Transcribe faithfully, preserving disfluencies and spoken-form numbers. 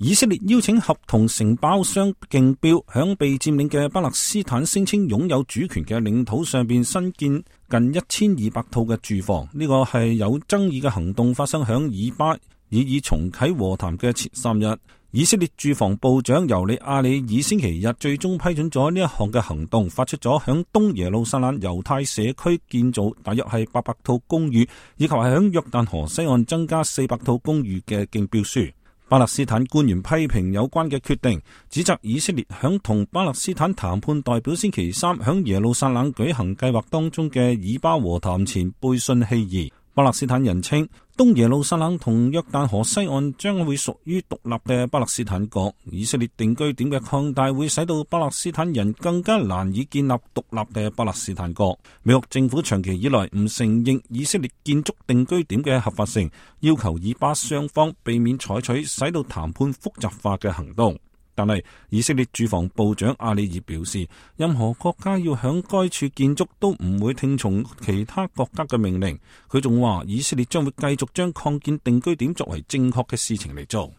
以色列邀請合同承包商競標，響被佔領嘅巴勒斯坦聲稱擁有主權嘅領土上邊新建近一千二百套嘅住房。呢個係有爭議嘅行動發生響以巴以以重啟和談嘅前三日。以色列住房部長尤里亞里爾星期日最終批准咗呢一項嘅行動，發出咗響東耶路撒冷猶太社區建造大約係八百套公寓，以及係響約旦河西岸增加四百套公寓嘅競標書。巴勒斯坦官員批評有關嘅決定，指責以色列響同巴勒斯坦談判代表星期三響耶路撒冷舉行計劃當中嘅以巴和談前背信棄義。巴勒斯坦人稱東耶路撒冷同約旦河西岸將會屬於獨立嘅巴勒斯坦國，以色列定居點嘅擴大會使到巴勒斯坦人更加難以建立獨立嘅巴勒斯坦國。美國政府長期以來唔承認以色列建築定居點嘅合法性，要求以巴雙方避免採取使到談判複雜化嘅行動。但係以色列住房部長阿里爾表示，任何國家要響該處建築都唔會聽從其他國家嘅命令。佢仲話以色列將會繼續將擴建定居點作為正確嘅事情嚟做。